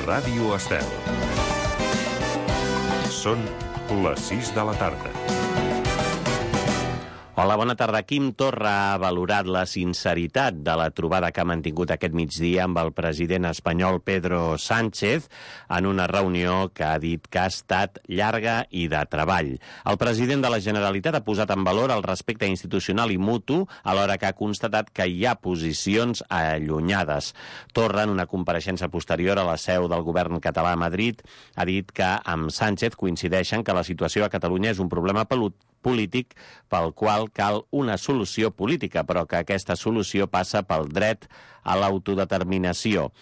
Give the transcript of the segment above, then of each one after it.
Ràdio Estel. Són les 6 de la tarda. Hola, bona tarda. Quim Torra ha valorat la sinceritat de la trobada que ha mantingut aquest migdia amb el president espanyol Pedro Sánchez en una reunió que ha dit que ha estat llarga i de treball. El president de la Generalitat ha posat en valor el respecte institucional i mutu, alhora que ha constatat que hi ha posicions allunyades. Torra, en una compareixença posterior a la seu del govern català a Madrid, ha dit que amb Sánchez coincideixen que la situació a Catalunya és un problema polític pel qual cal una solució política, però que aquesta solució passa pel dret a l'autodeterminació.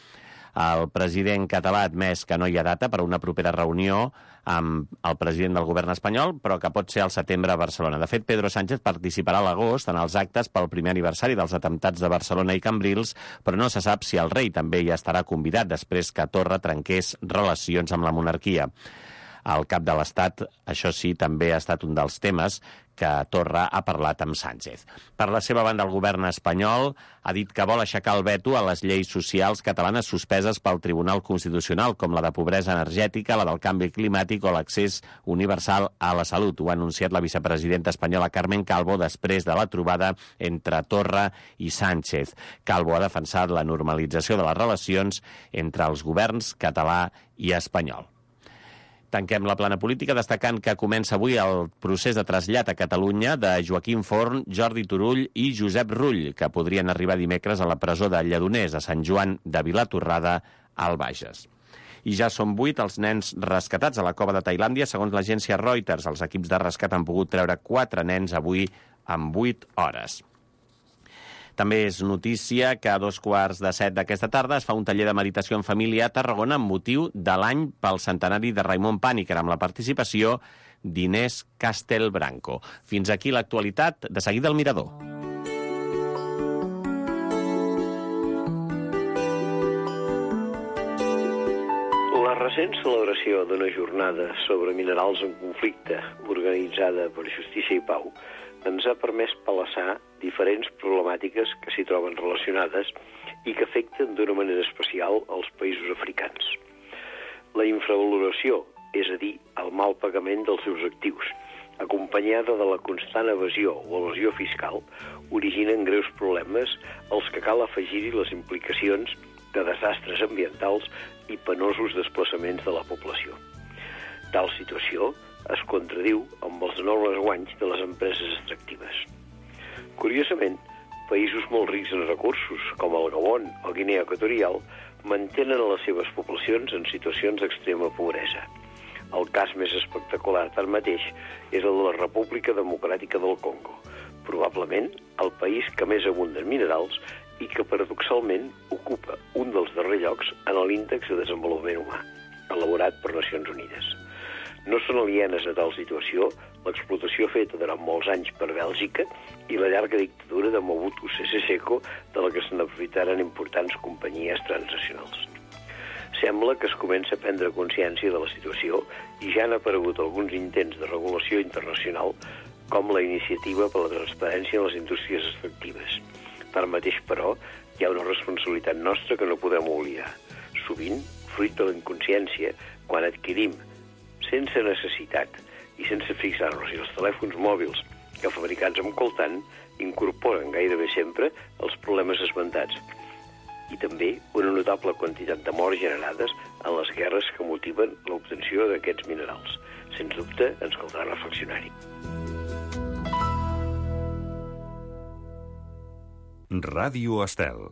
El president català ha admès que no hi ha data per a una propera reunió amb el president del govern espanyol, però que pot ser al setembre a Barcelona. De fet, Pedro Sánchez participarà a l'agost en els actes pel primer aniversari dels atemptats de Barcelona i Cambrils, però no se sap si el rei també hi estarà convidat després que Torra trenqués relacions amb la monarquia. El cap de l'Estat, això sí, també ha estat un dels temes que Torra ha parlat amb Sánchez. Per la seva banda, el govern espanyol ha dit que vol aixecar el veto a les lleis socials catalanes suspeses pel Tribunal Constitucional, com la de pobresa energètica, la del canvi climàtic o l'accés universal a la salut. Ho ha anunciat la vicepresidenta espanyola Carmen Calvo després de la trobada entre Torra i Sánchez. Calvo ha defensat la normalització de les relacions entre els governs català i espanyol. Tanquem la plana política destacant que comença avui el procés de trasllat a Catalunya de Joaquim Forn, Jordi Turull i Josep Rull, que podrien arribar dimecres a la presó de Lledoners, a Sant Joan de Vilatorrada, al Bages. I ja són 8 els nens rescatats a la cova de Tailàndia. Segons l'agència Reuters, els equips de rescat han pogut treure 4 nens avui en 8 hores. També és notícia que a 6:45 d'aquesta tarda es fa un taller de meditació en família a Tarragona amb motiu de l'any pel centenari de Raimon Pàniker, amb la participació d'Inés Castelbranco. Fins aquí l'actualitat. De seguida, el Mirador. La recent celebració d'una jornada sobre minerals en conflicte organitzada per Justícia i Pau ens ha permès palassar diferents problemàtiques que s'hi troben relacionades i que afecten d'una manera especial els països africans. La infravaloració, és a dir, el mal pagament dels seus actius, acompanyada de la constant evasió o evasió fiscal, originen greus problemes als que cal afegir-hi les implicacions de desastres ambientals i penosos desplaçaments de la població. Tal situació es contradiu amb els enormes guanys de les empreses extractives. Curiosament, països molt rics en recursos, com el Gabon o Guinea Equatorial, mantenen les seves poblacions en situacions d'extrema pobresa. El cas més espectacular, tanmateix, és el de la República Democràtica del Congo, probablement el país que més abunda en minerals i que, paradoxalment, ocupa un dels darrers llocs en l'índex de desenvolupament humà, elaborat per Nacions Unides. No són alienes a tal situació l'explotació feta durant molts anys per Bèlgica i la llarga dictadura de Mobutu Sese Seko, de la que se n'aprofitaren importants companyies transnacionals. Sembla que es comença a prendre consciència de la situació i ja han aparegut alguns intents de regulació internacional, com la iniciativa per la transparència en les indústries extractives. Tanmateix, però, hi ha una responsabilitat nostra que no podem oblidar. Sovint, fruit de la inconsciència, quan adquirim sense necessitat i sense fixar-nos si els telèfons mòbils que fabricats amb coltan incorporen gairebé sempre els problemes esmentats i també una notable quantitat de morts generades en les guerres que motiven l'obtenció d'aquests minerals. Sens dubte, ens caldrà reflexionar-hi. Ràdio Estel.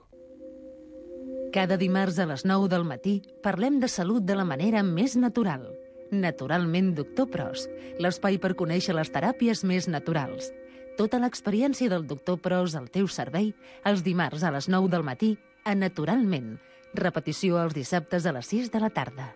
Cada dimarts a les 9 del matí parlem de salut de la manera més natural. Naturalment Doctor Pros, l'espai per conèixer les teràpies més naturals. Tota l'experiència del Doctor Pros al teu servei, els dimarts a les 9 del matí, a Naturalment. Repetició els dissabtes a les 6 de la tarda.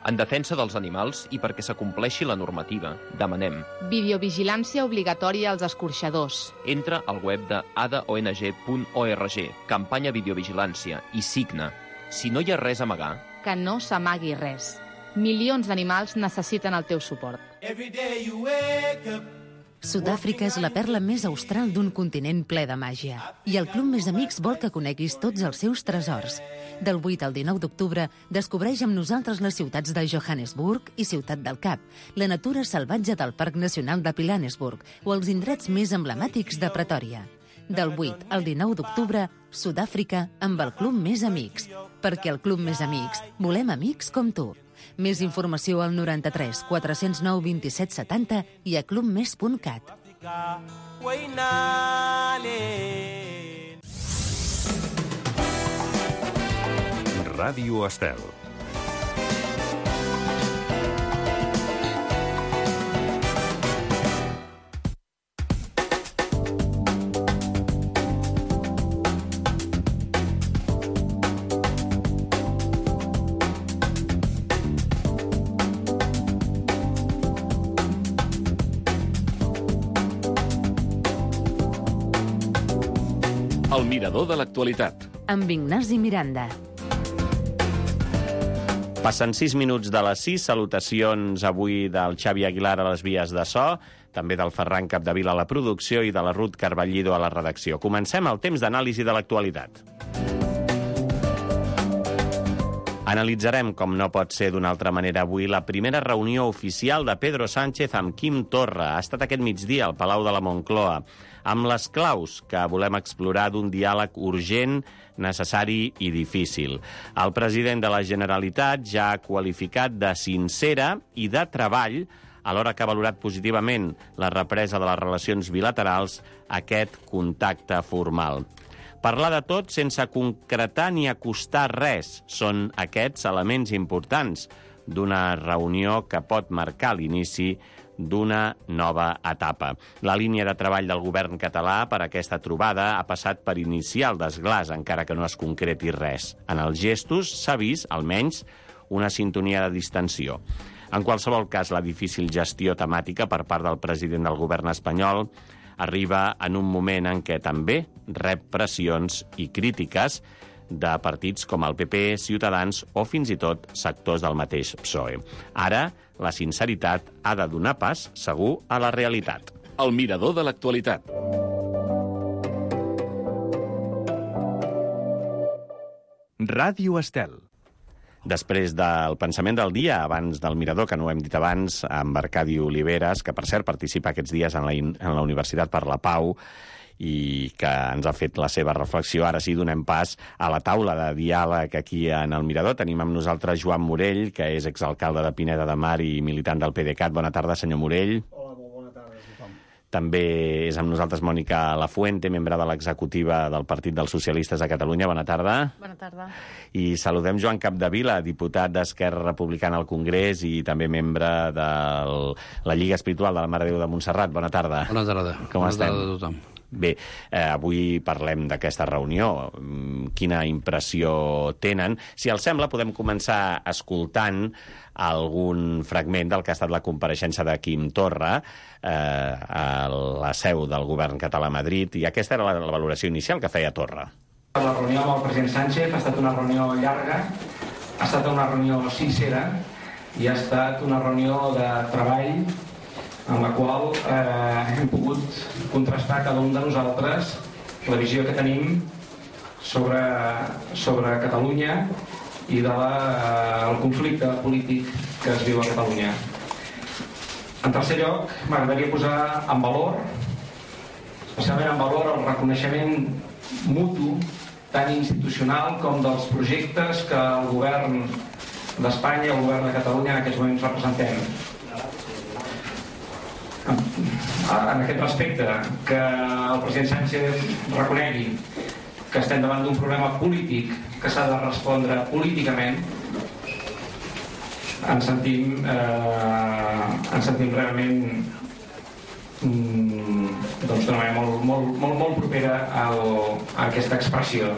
En defensa dels animals i perquè s'acompleixi la normativa, demanem videovigilància obligatòria als escorxadors. Entra al web de adaong.org, campanya videovigilància, i signa. Si no hi ha res a amagar, Que no s'amagui res. Milions d'animals necessiten el teu suport. Sud-àfrica és la perla més austral d'un continent ple de màgia. I el Club Més Amics vol que coneguis tots els seus tresors. Del 8 al 19 d'octubre, descobreix amb nosaltres les ciutats de Johannesburg i Ciutat del Cap, la natura salvatge del Parc Nacional de Pilanesburg o els indrets més emblemàtics de Pretòria. Del 8 al 19 d'octubre, Sud-àfrica amb el Club Més Amics. Perquè el Club Més Amics volem amics com tu. Més informació al 93 409 27 70 i a clubmes.cat. Ràdio Estel. El mirador de l'actualitat. Amb Ignasi Miranda. Passen 6 minuts de les 6. Salutacions avui del Xavi Aguilar a les vies de so, també del Ferran Capdevila a la producció i de la Ruth Carballido a la redacció. Comencem el temps d'anàlisi de l'actualitat. Analitzarem, com no pot ser d'una altra manera avui, la primera reunió oficial de Pedro Sánchez amb Quim Torra. Ha estat aquest migdia al Palau de la Moncloa, amb les claus que volem explorar d'un diàleg urgent, necessari i difícil. El president de la Generalitat ja ha qualificat de sincera i de treball, alhora que ha valorat positivament la represa de les relacions bilaterals, aquest contacte formal. Parlar de tot sense concretar ni acostar res són aquests elements importants d'una reunió que pot marcar l'inici d'una nova etapa. La línia de treball del govern català per a aquesta trobada ha passat per iniciar el desglàs, encara que no es concreti res. En els gestos s'ha vist, almenys, una sintonia de distensió. En qualsevol cas, la difícil gestió temàtica per part del president del govern espanyol arriba en un moment en què també rep pressions i crítiques de partits com el PP, Ciutadans o fins i tot sectors del mateix PSOE. Ara, la sinceritat ha de donar pas, segur, a la realitat. El mirador de l'actualitat. Ràdio Estel. Després del pensament del dia, abans del mirador, que no ho hem dit abans, amb Arcadi Oliveres, que per cert participa aquests dies en la Universitat per la Pau, i que ens ha fet la seva reflexió. Ara sí, donem pas a la taula de diàleg aquí en el Mirador. Tenim amb nosaltres Joan Morell, que és exalcalde de Pineda de Mar i militant del PDeCAT. Bona tarda, senyor Morell. Hola, molt bona tarda a tothom. També és amb nosaltres Mònica Lafuente, membre de l'executiva del Partit dels Socialistes de Catalunya. Bona tarda. Bona tarda. I saludem Joan Capdevila, diputat d'Esquerra Republicana al Congrés i també membre de la Lliga Espiritual de la Mare de Déu de Montserrat. Bona tarda. Bona tarda. Com estem? Bona tarda a tothom. Bé, avui parlem d'aquesta reunió. Quina impressió tenen? Si els sembla, podem començar escoltant algun fragment del que ha estat la compareixença de Quim Torra a la seu del govern català a Madrid, i aquesta era la valoració inicial que feia Torra. La reunió amb el president Sánchez ha estat una reunió llarga, ha estat una reunió sincera i ha estat una reunió de treball en la qual hem pogut contrastar cada un de nosaltres la visió que tenim sobre Catalunya i del conflicte polític que es viu a Catalunya. En tercer lloc, m'agradaria posar en valor, especialment en valor, el reconeixement mutu, tant institucional com dels projectes que el govern d'Espanya i el govern de Catalunya en aquests moments representem. En aquest respecte, que el president Sánchez reconegui que estem davant d'un problema polític que s'ha de respondre políticament, ens sentim realment d'una manera molt propera a aquesta expressió.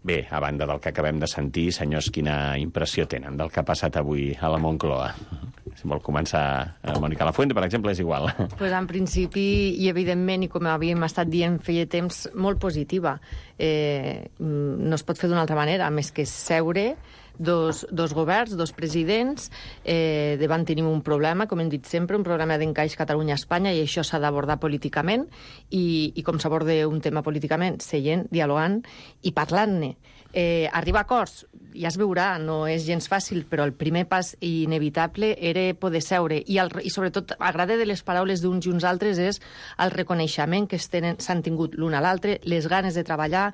Bé, a banda del que acabem de sentir, senyors, quina impressió tenen del que ha passat avui a la Moncloa? Si vol començar Mònica Lafuente, per exemple, és igual. Pues en principi, i evidentment, i com havíem estat dient feia temps, molt positiva. No es pot fer d'una altra manera, més que seure, dos governs, dos presidents, van tenir un problema, com hem dit sempre, un problema d'encaix Catalunya-Espanya, i això s'ha d'abordar políticament, i com s'aborda un tema políticament? Seient, dialogant i parlant-ne. Arribar a acords, ja es veurà, no és gens fàcil, però el primer pas inevitable era poder seure. I sobretot, agrada de les paraules d'uns i uns altres és el reconeixement que s'han tingut l'un a l'altre, les ganes de treballar,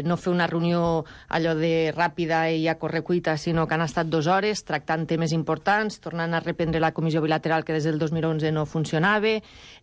no fer una reunió allò de ràpida i a correcuita, sinó que han estat 2 hores tractant temes importants, tornant a reprendre la comissió bilateral que des del 2011 no funcionava,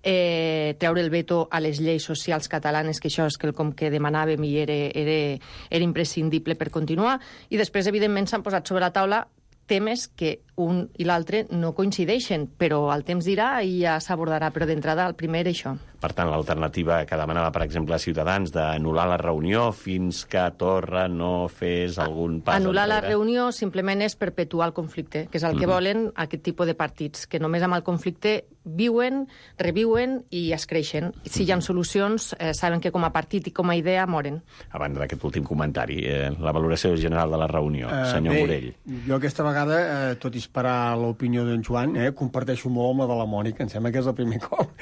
treure el veto a les lleis socials catalanes, que això és quelcom que demanàvem i era imprescindible per continuar, i després, evidentment, s'han posat sobre la taula temes que un i l'altre no coincideixen, però el temps dirà i ja s'abordarà, però d'entrada el primer era això. Per tant, l'alternativa que demanava, per exemple, Ciutadans, d'anul·lar la reunió fins que Torra no fes algun pas anul·lar enrere. la reunió simplement és perpetuar el conflicte, que és el que volen aquest tipus de partits, que només amb el conflicte viuen, reviuen i es creixen. Si hi ha solucions, saben que com a partit i com a idea moren. A banda d'aquest últim comentari, la valoració general de la reunió, senyor Morell. Jo aquesta vegada, tot i esperar l'opinió d'en Joan, comparteixo molt amb la de la Mònica, em sembla que és el primer cop.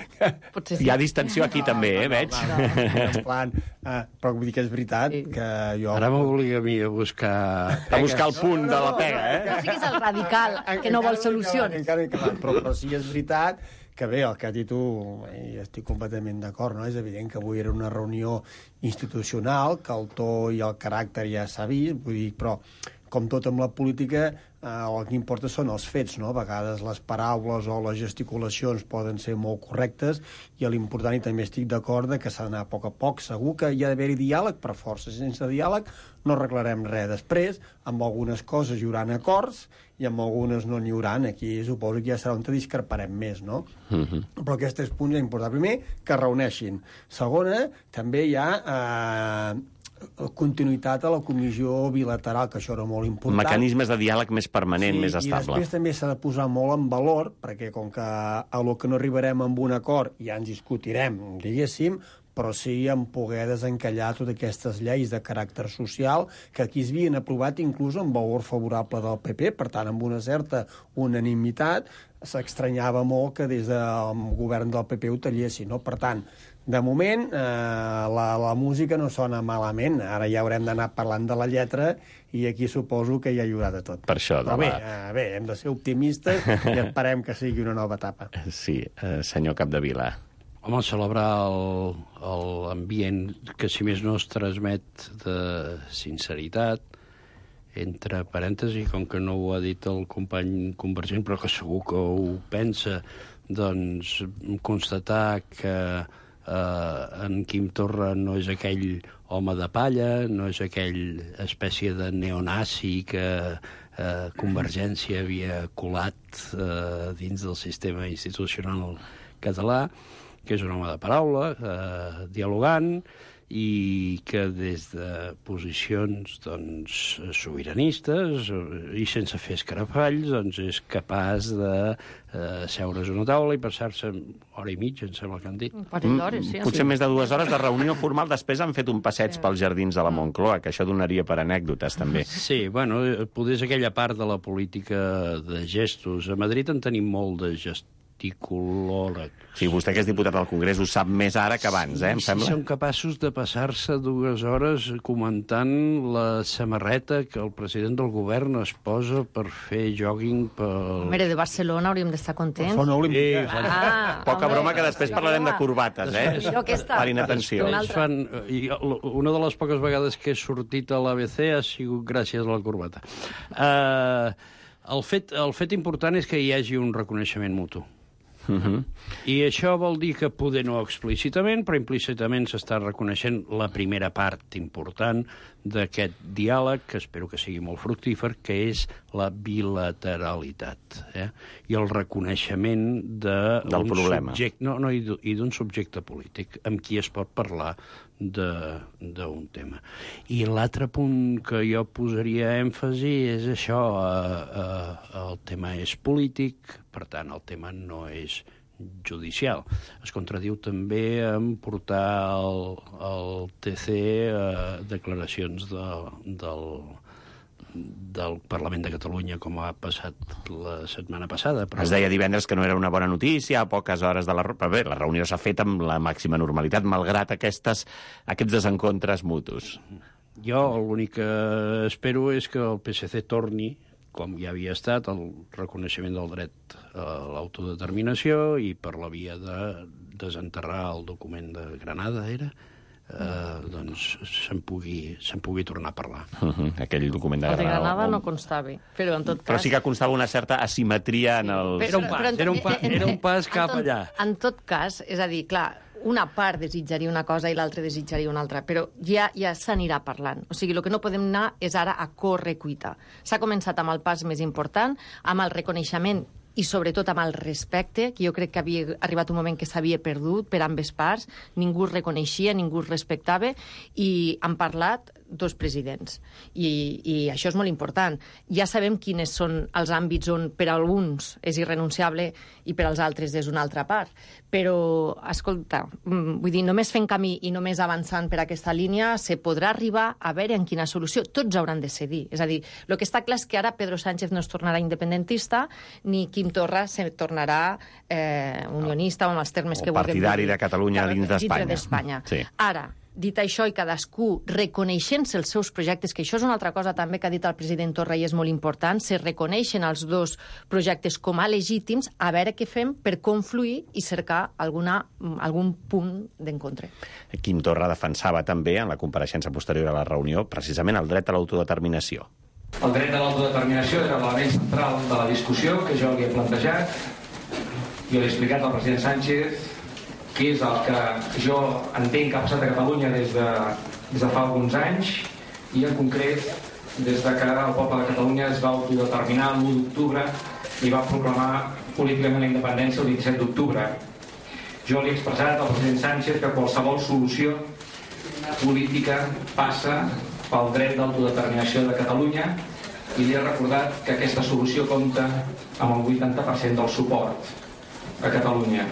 Potser sí. Hi ha distensió aquí també, veig. En plan, però vull dir que és veritat que jo... Ara m'obliga a mi a buscar... A buscar el punt de la pega, Sí que és el radical, que no vol solucions. Però sí és veritat que bé, el que has dit tu, i estic completament d'acord, no? És evident que avui era una reunió institucional, que el to i el caràcter ja s'ha vist, vull dir, però com tot amb la política, el que importa són els fets, no? A vegades les paraules o les gesticulacions poden ser molt correctes, i l'important, i també estic d'acord, que s'ha d'anar a poc. Segur que hi ha d'haver-hi diàleg, per força. Sense diàleg no arreglarem res. Després, amb algunes coses hi haurà acords, i amb algunes no n'hi haurà. Aquí suposo que ja serà on discreparem més, no? Però aquests 3 punts és important. Primer, que es reuneixin. Segona, també hi ha... continuïtat a la comissió bilateral, que això era molt important. Mecanismes de diàleg més permanent, més I estable. després també s'ha de posar molt en valor, perquè com que a lo que no arribarem amb un acord ja ens discutirem, diguéssim, però sí en poder desencallar totes aquestes lleis de caràcter social que aquí es havien aprovat inclús amb valor favorable del PP, per tant, amb una certa unanimitat. S'estranyava molt que des del govern del PP ho tallessin, no? Per tant, de moment, la música no sona malament. Ara ja haurem d'anar parlant de la lletra i aquí suposo que ja hi haurà de tot. Per això, però bé, hem de ser optimistes i esperem que sigui una nova etapa. Sí, senyor Capdevila. Home, celebrar l'ambient que, si més no, es transmet de sinceritat, entre parèntesis, com que no ho ha dit el company convergent, però que segur que ho pensa, doncs constatar que en Quim Torra no és aquell home de palla, no és aquell espècie de neonazi que Convergència havia colat dins del sistema institucional català, que és un home de paraula, dialogant, i que des de posicions doncs, sobiranistes i sense fer escarafalls doncs, és capaç de seure's a una taula i passar-se hora i mitja, em sembla que han dit. Potser més de 2 hores de reunió formal. Després han fet un passeig pels jardins de la Moncloa, que això donaria per anècdotes, també. Sí, bueno, potser és aquella part de la política de gestos. A Madrid en tenim molt de gesticulòleg. Sí, vostè que és diputat al Congrés ho sap més ara que abans, em sembla. Si són capaços de passar-se 2 hores comentant la samarreta que el president del govern es posa per fer jogging pel... Home, de Barcelona hauríem d'estar contents. Són olímpics. Poca broma, que després parlarem de corbates, per inatenció. Una de les poques vegades que he sortit a l'ABC ha sigut gràcies a la corbata. El fet important és que hi hagi un reconeixement mutu. I això vol dir que poder no explícitament, però implícitament s'està reconeixent la primera part important d'aquest diàleg, que espero que sigui molt fructífer, que és la bilateralitat, i el reconeixement del problema. I d'un subjecte polític amb qui es pot parlar d'un tema. I l'altre punt que jo posaria èmfasi és això, el tema és polític, per tant el tema no és judicial. Es contradiu també en portar al TC declaracions del del Parlament de Catalunya, com ha passat la setmana passada. Però... Es deia divendres que no era una bona notícia, a poques hores de la... Però bé, la reunió s'ha fet amb la màxima normalitat, malgrat aquests desencontres mutus. Jo l'únic que espero és que el PSC torni, com ja havia estat, el reconeixement del dret a l'autodeterminació i per la via de desenterrar el document de Granada, era... doncs se'n pugui tornar a parlar. Aquell document de El de Granada... Granada no constava, però en tot cas... Però sí que constava una certa asimetria en el... Era un pas cap allà. En tot cas, és a dir, clar, una part desitjaria una cosa i l'altra desitjaria una altra, però ja s'anirà parlant. O sigui, el que no podem anar és ara a corre-cuita. S'ha començat amb el pas més important, amb el reconeixement i sobretot amb el respecte, que jo crec que havia arribat un moment que s'havia perdut per ambes parts, ningú es reconeixia, ningú es respectava, i han parlat dos presidents. I això és molt important. Ja sabem quins són els àmbits on per a alguns és irrenunciable i per als altres és una altra part. Però, escolta, vull dir, només fent camí i només avançant per aquesta línia se podrà arribar a veure en quina solució. Tots hauran de cedir. És a dir, el que està clar és que ara Pedro Sánchez no es tornarà independentista ni Quim Torra se tornarà unionista o amb els termes que vulguem dir. Partidari de Catalunya dins d'Espanya. Sí. Ara, dit això i cadascú reconeixent-se els seus projectes, que això és una altra cosa també que ha dit el president Torra i és molt important, se reconeixen els dos projectes com a legítims, a veure què fem per confluir i cercar algun punt d'encontre. Quim Torra defensava també, en la compareixença posterior a la reunió, precisament el dret a l'autodeterminació. El dret a l'autodeterminació era l'element central de la discussió que jo li he plantejat. Jo li he explicat al president Sánchez que és el que jo entenc que ha passat a Catalunya des de fa alguns anys i en concret des de que el poble de Catalunya es va autodeterminar l'1 d'octubre i va proclamar políticament la independència el 27 d'octubre. Jo li he expressat al president Sánchez que qualsevol solució política passa pel dret d'autodeterminació de Catalunya i li he recordat que aquesta solució compta amb el 80% del suport a Catalunya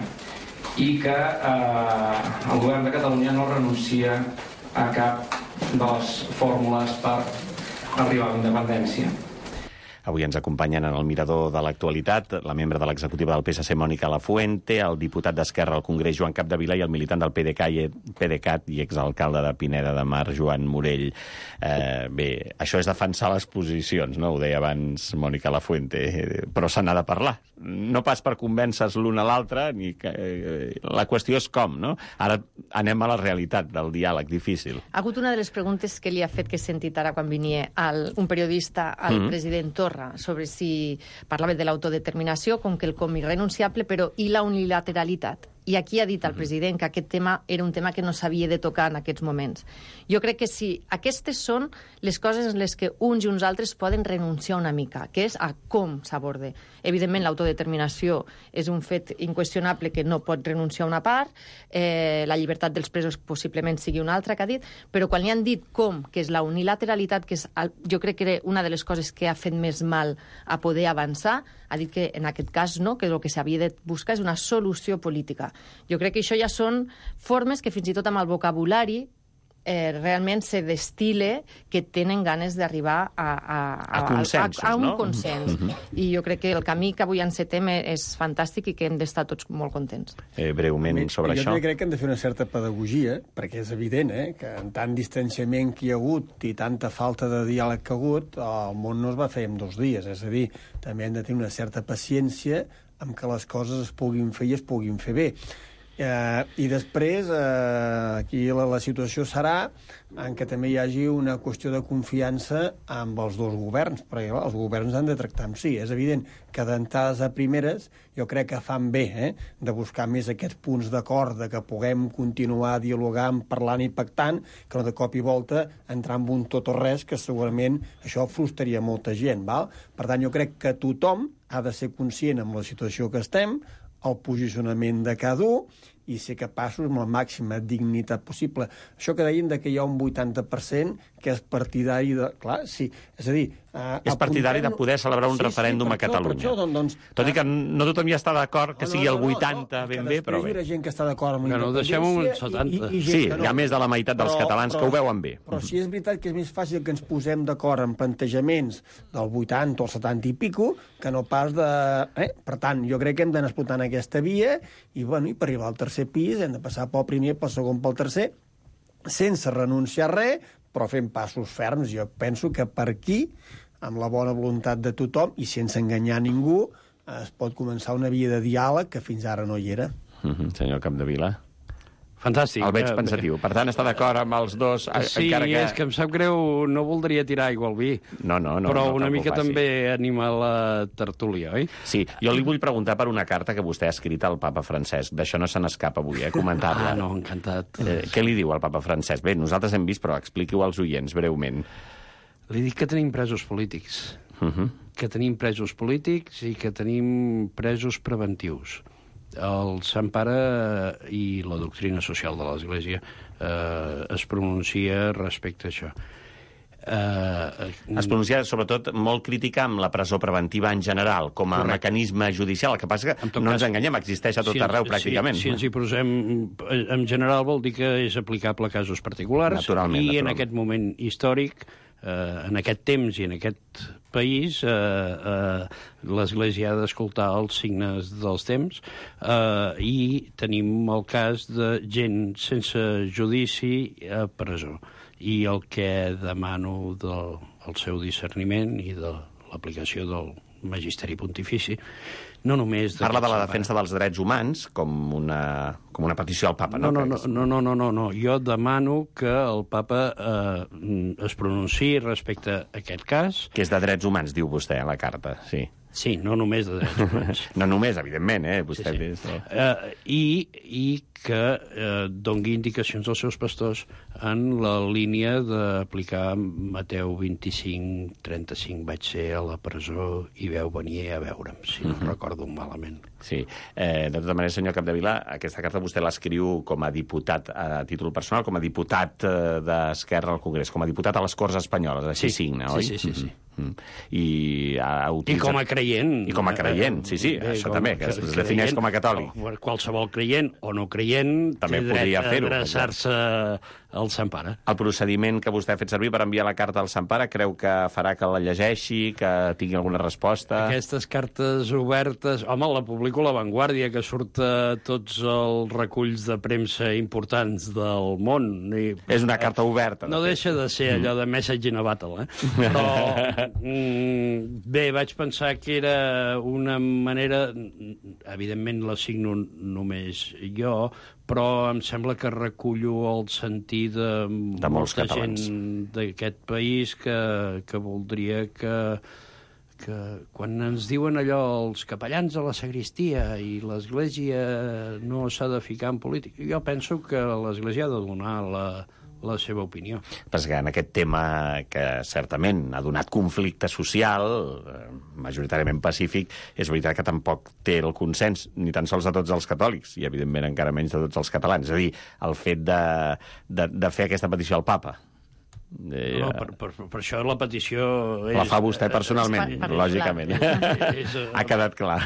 i que el govern de Catalunya no renuncia a cap de les fórmules per arribar a la independència. Avui ens acompanyen en el mirador de l'actualitat la membre de l'executiva del PSC, Mònica Lafuente, el diputat d'Esquerra al Congrés, Joan Capdevila, i el militant del PDeCAT i exalcalde de Pineda de Mar, Joan Morell. Bé, això és defensar les posicions, no? Ho deia abans Mònica Lafuente, però se n'ha de parlar. No pas per convèncer l'un a l'altre, ni la qüestió és com, no? Ara anem a la realitat del diàleg difícil. Ha hagut una de les preguntes que li ha fet, que he sentit ara quan venia un periodista al president Torra, sobre si parlava de l'autodeterminació com quelcom irrenunciable, però i la unilateralitat. I aquí ha dit el president que aquest tema era un tema que no s'havia de tocar en aquests moments. Jo crec que sí, aquestes són les coses en les que uns i uns altres poden renunciar una mica, que és a com s'aborde. Evidentment, l'autodeterminació és un fet inqüestionable que no pot renunciar una part, la llibertat dels presos possiblement sigui una altra, que ha dit, però quan li han dit com, que és la unilateralitat, que és, jo crec que era una de les coses que ha fet més mal a poder avançar, ha dit que en aquest cas no, que el que s'havia de buscar és una solució política. Jo crec que això ja són formes que fins i tot amb el vocabulari realment se destile que tenen ganes d'arribar a un consens. I jo crec que el camí que avui encetem és fantàstic i que hem d'estar tots molt contents. Breument sobre això. Jo crec que hem de fer una certa pedagogia, perquè és evident que en tant distanciament que hi ha hagut i tanta falta de diàleg que ha hagut, el món no es va fer en 2 dies. És a dir, també hem de tenir una certa paciència amb que les coses es puguin fer i es puguin fer bé. I després, aquí la situació serà en què també hi hagi una qüestió de confiança amb els dos governs, perquè els governs han de tractar amb si. És evident que d'entrades a primeres jo crec que fan bé de buscar més aquests punts d'acord, de que puguem continuar dialogant, parlant i pactant, que no de cop i volta entrar en un tot o res, que segurament això frustraria molta gent. Val? Per tant, jo crec que tothom ha de ser conscient amb la situació que estem, el posicionament de cada un i ser capaços amb la màxima dignitat possible. Això que deien que hi ha un 80% que és partidari de... Clar, sí, és a dir... És partidari de poder celebrar un referèndum a Catalunya. Tot i que no tothom hi està d'acord que sigui el 80 ben bé, però bé. Hi ha gent que està d'acord amb la independència... Deixem un 70. Sí, hi ha més de la meitat dels catalans que ho veuen bé. Però sí és veritat que és més fàcil que ens posem d'acord en plantejaments del 80 o el 70 i pico que no pas de... Per tant, jo crec que hem d'anar explotant aquesta via i per arribar al tercer pis hem de passar pel primer, pel segon, pel tercer, sense renunciar a res, però fent passos ferms. Jo penso que per aquí, amb la bona voluntat de tothom i sense enganyar ningú, es pot començar una via de diàleg que fins ara no hi era. Senyor Capdevila. Fantàstic. El veig pensatiu. Per tant, està d'acord amb els dos, sí, encara que... és que em sap greu, no voldria tirar aigua al vi. No, però una mica també anima la tertúlia, oi? Sí, jo li vull preguntar per una carta que vostè ha escrit al papa Francesc. D'això no se n'escapa avui, comentar-la. No, encantat. Què li diu al papa Francesc? Bé, nosaltres hem vist, però expliqui-ho als oients, breument. Li dic que tenim presos polítics. Que tenim presos polítics i que tenim presos preventius. El Sant Pare i la doctrina social de l'Església es pronuncia respecte a això. Es pronuncia, sobretot, molt crítica amb la presó preventiva en general, com a mecanisme judicial. El que passa que no ens enganyem, existeix a tot arreu, pràcticament. Si ens hi posem en general, vol dir que és aplicable a casos particulars. Naturalment. En aquest moment històric, en aquest temps i en aquest país, l'Església ha d'escoltar els signes dels temps i tenim el cas de gent sense judici a presó. I el que demano del seu discerniment i de l'aplicació del magisteri pontifici, no només... Parla de la defensa dels drets humans com una petició al papa, no? No. Jo demano que el papa es pronunciï respecte a aquest cas. Que és de drets humans, diu vostè a la carta, sí. Sí, no només de drets humans. No només, evidentment, vostè... I que dongui indicacions als seus pastors en la línia d'aplicar Mateu 25-35. Vaig ser a la presó i veu venir a veure'm, si no recordo malament. Sí. De tota manera, senyor Capdevila, aquesta carta vostè l'escriu com a diputat a títol personal, com a diputat d'Esquerra al Congrés, com a diputat a les Corts Espanyoles, així signa, oi? Sí. I com a creient. I com a creient, sí, això també, que es defineix com a catòlic. Qualsevol creient o no creient també podria fer-ho. Adreçar-se al Sant Pare. El procediment que vostè ha fet servir per enviar la carta al Sant Pare creu que farà que la llegeixi, que tingui alguna resposta? Aquestes cartes obertes... Home, la publico a La Vanguardia, que surt a tots els reculls de premsa importants del món. És una carta oberta. No deixa de ser allò de message in a battle, Però... bé, vaig pensar que era una manera... Evidentment la signo només jo, però em sembla que recullo el sentir de molta gent d'aquest país que voldria que quan ens diuen allò els capellans a la sagristia i l'Església no s'ha de ficar en política, jo penso que l'Església ha de donar la seva opinió. Perquè en aquest tema que certament ha donat conflicte social, majoritàriament pacífic, és veritat que tampoc té el consens, ni tan sols de tots els catòlics, i evidentment encara menys de tots els catalans. És a dir, el fet de fer aquesta petició al papa. No, per això la petició... La fa vostè personalment, lògicament. Ha quedat clar.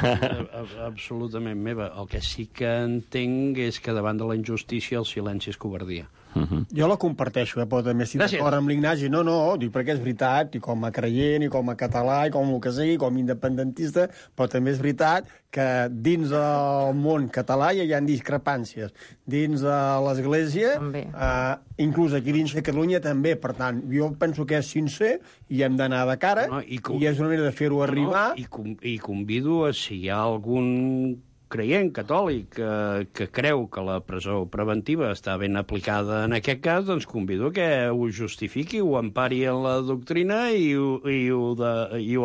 Absolutament meva. El que sí que entenc és que davant de la injustícia el silenci és covardia. Jo la comparteixo, però també estic d'acord amb l'Ignasi. No, dic perquè és veritat, i com a creient, i com a català, i com el que sigui, com a independentista, però també és veritat que dins del món català ja hi ha discrepàncies. Dins de l'Església, inclús aquí dins de Catalunya també. Per tant, jo penso que és sincer i hem d'anar de cara, i és una manera de fer-ho arribar. I convido a si hi ha algun creient catòlic que creu que la presó preventiva està ben aplicada en aquest cas, doncs convido que ho justifiqui, ho empari en la doctrina i ho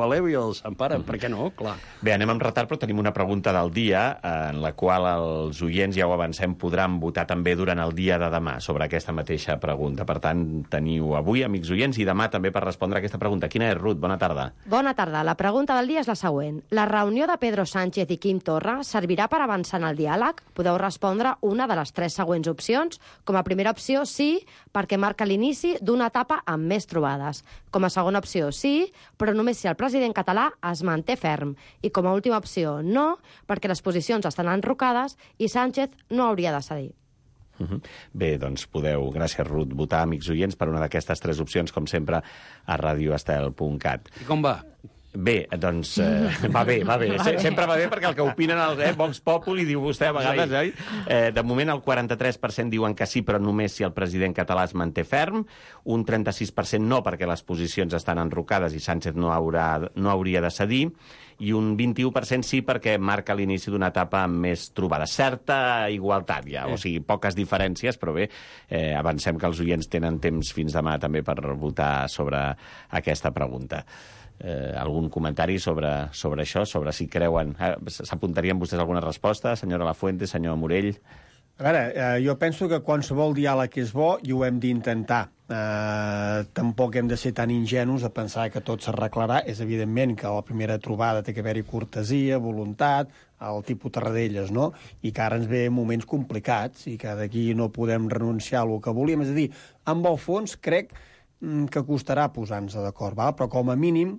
elevi al Sant Pare. Per què no? Clar. Bé, anem amb retard, però tenim una pregunta del dia en la qual els oients, ja ho avancem, podran votar també durant el dia de demà sobre aquesta mateixa pregunta. Per tant, teniu avui, amics oients, i demà també per respondre a aquesta pregunta. Quina és, Ruth? Bona tarda. Bona tarda. La pregunta del dia és la següent. La reunió de Pedro Sánchez i Quim Torra servirà servirà per avançar en el diàleg? Podeu respondre una de les 3 següents opcions. Com a primera opció, sí, perquè marca l'inici d'una etapa amb més trobades. Com a segona opció, sí, però només si el president català es manté ferm. I com a última opció, no, perquè les posicions estan enrocades i Sánchez no hauria de cedir. Bé, doncs podeu, gràcies Ruth, votar, amics oients, per una d'aquestes 3 opcions, com sempre, a radioestel.cat. I com va? Bé, doncs va bé. Sempre va bé perquè el que opinen els Vox Populi, diu vostè a vegades, oi? De moment el 43% diuen que sí, però només si el president català es manté ferm, un 36% no, perquè les posicions estan enrocades i Sánchez no hauria de cedir, i un 21% sí perquè marca l'inici d'una etapa amb més trobada. Certa igualtat, ja, o sigui, poques diferències, però bé, avancem que els oients tenen temps fins demà també per votar sobre aquesta pregunta. Algun comentari sobre això, sobre si creuen... S'apuntarien vostès alguna resposta, senyora Lafuente, senyor Morell? A veure, jo penso que qualsevol diàleg és bo i ho hem d'intentar. Tampoc hem de ser tan ingenus a pensar que tot s'arreglarà. És evidentment que a la primera trobada té que haver-hi cortesia, voluntat, el tipus Tarradellas, no? I que ara ens ve moments complicats i que d'aquí no podem renunciar a lo que volíem. És a dir, amb el fons crec que costarà posar-nos d'acord, però com a mínim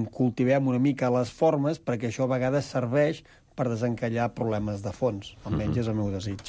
cultivem una mica les formes perquè això a vegades serveix per desencallar problemes de fons. Almenys és el meu desig.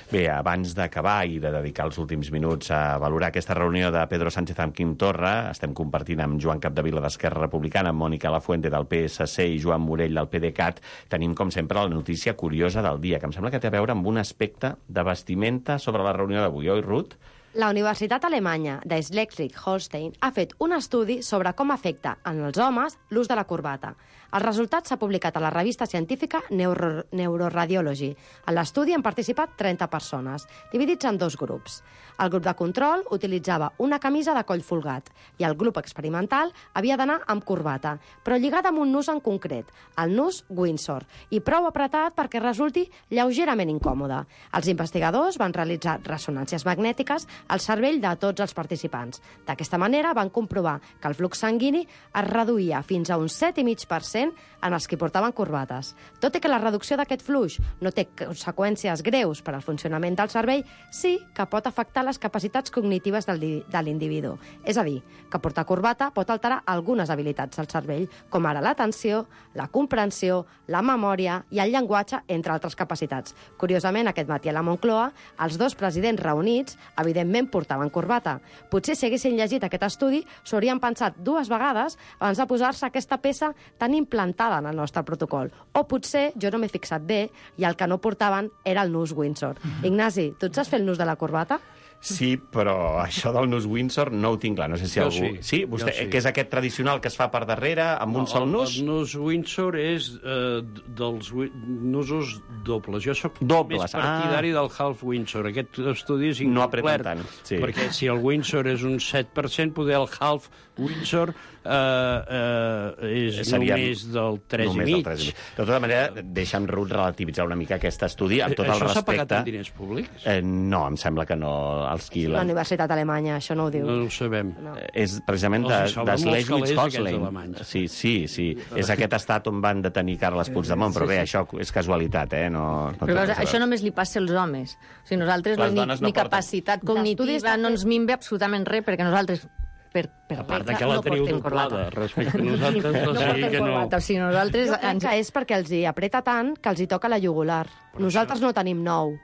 Bé, abans d'acabar i de dedicar els últims minuts a valorar aquesta reunió de Pedro Sánchez amb Quim Torra, estem compartint amb Joan Capdevila d'Esquerra Republicana, amb Mònica Lafuente del PSC i Joan Morell del PDeCAT. Tenim, com sempre, la notícia curiosa del dia, que em sembla que té a veure amb un aspecte de vestimenta sobre la reunió d'avui, oi, Ruth? La Universitat Alemanya de Schleswig-Holstein ha fet un estudi sobre com afecta en els homes l'ús de la corbata. El resultat s'ha publicat a la revista científica Neuroradiology. En l'estudi han participat 30 persones, dividits en 2 grups. El grup de control utilitzava una camisa de coll folgat i el grup experimental havia d'anar amb corbata, però lligada amb un nus en concret, el nus Windsor, i prou apretat perquè resulti lleugerament incòmode. Els investigadors van realitzar ressonàncies magnètiques al cervell de tots els participants. D'aquesta manera van comprovar que el flux sanguini es reduïa fins a un 7,5% en els que portaven corbates. Tot i que la reducció d'aquest flux no té conseqüències greus per al funcionament del cervell, sí que pot afectar les capacitats cognitives de l'individu. És a dir, que portar corbata pot alterar algunes habilitats del cervell, com ara l'atenció, la comprensió, la memòria i el llenguatge, entre altres capacitats. Curiosament, aquest matí a la Moncloa, els 2 presidents reunits, evidentment, portaven corbata. Potser si haguessin llegit aquest estudi, s'ho haurien pensat 2 vegades abans de posar-se aquesta peça tan implantada en el nostre protocol. O potser jo no m'he fixat bé i el que no portaven era el nus Windsor. Ignasi, tu et saps fer el nus de la corbata? Sí, però això del nus Windsor no ho tinc clar. No sé si jo algú... Sí, vostè, sí. Que és aquest tradicional que es fa per darrere, amb un sol nus? El nus Windsor és dels nusos dobles. Jo soc més partidari del half Windsor. Aquest estudi és no incomplet, sí. Perquè si el Windsor és un 7%, poder el half Windsor és només del 3,5. De tota manera, deixa'm, Ruth, relativitzar una mica aquest estudi amb tot el respecte. Això s'ha pagat amb diners públics? No, em sembla que no. La Universitat Alemanya, això no ho diu. No ho sabem. No. És precisament de Schleswig-Holstein. Sí. És aquest estat on van detenir Carles Puigdemont, però bé, això és casualitat, no però això només li passa als homes. O sigui, nosaltres ni capacitat cognitiva no ens minve absolutament res, perquè nosaltres a part que la teniu doblada respecte a nosaltres, no portem corbata. O sigui, nosaltres... Jo crec que és perquè els hi apreta tant que els hi toca la jugular. Nosaltres no tenim nou.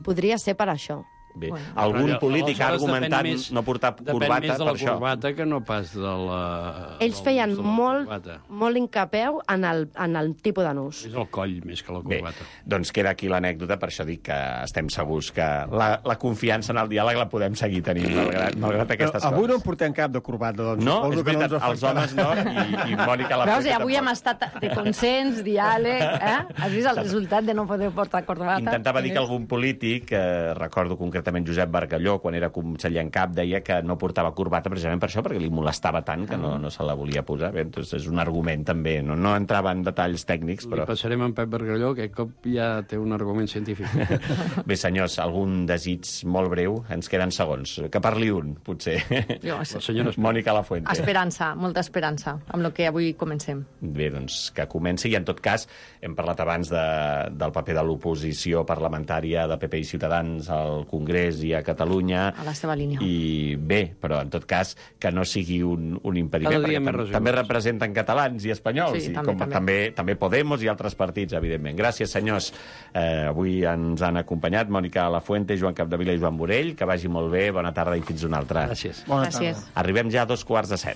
Podria ser per això. Bé, algun polític ha argumentat no portar corbata per això. Depèn més de la corbata que no pas de la... Ells feien molt incapeu en el tipus de nus. És el coll més que la corbata. Bé, doncs queda aquí l'anècdota, per això dic que estem segurs que la confiança en el diàleg la podem seguir tenint, malgrat aquestes coses. Avui no en portem cap de corbata, doncs. No, és veritat, els homes no, i Mònica la Veus, avui hem estat de consens, diàleg, Has vist el resultat de no poder portar corbata? Intentava dir que algun polític, recordo concretament concretament Josep Bargalló, quan era conseller en cap, deia que no portava corbata precisament per això, perquè li molestava tant que no se la volia posar. Bé, doncs és un argument també, no entrava en detalls tècnics, però... Li passarem en Pep Bargalló, que aquest cop ja té un argument científic. Bé, senyors, algun desig molt breu? Ens queden segons. Que parli un, potser. Jo, Mònica Lafuente. Esperança, molta esperança, amb el que avui comencem. Bé, doncs que comenci, i en tot cas hem parlat abans del paper de l'oposició parlamentària de PP i Ciutadans al Congrés i a Catalunya. A la seva línia. I bé, però en tot cas que no sigui un impediment, perquè també representen catalans i espanyols, sí, també Podemos i altres partits, evidentment. Gràcies, senyors. Avui ens han acompanyat Mònica Lafuente, Joan Capdevila i Joan Borell. Que vagi molt bé, bona tarda i fins una altra. Gràcies. Bona tarda. Arribem ja a 2:15.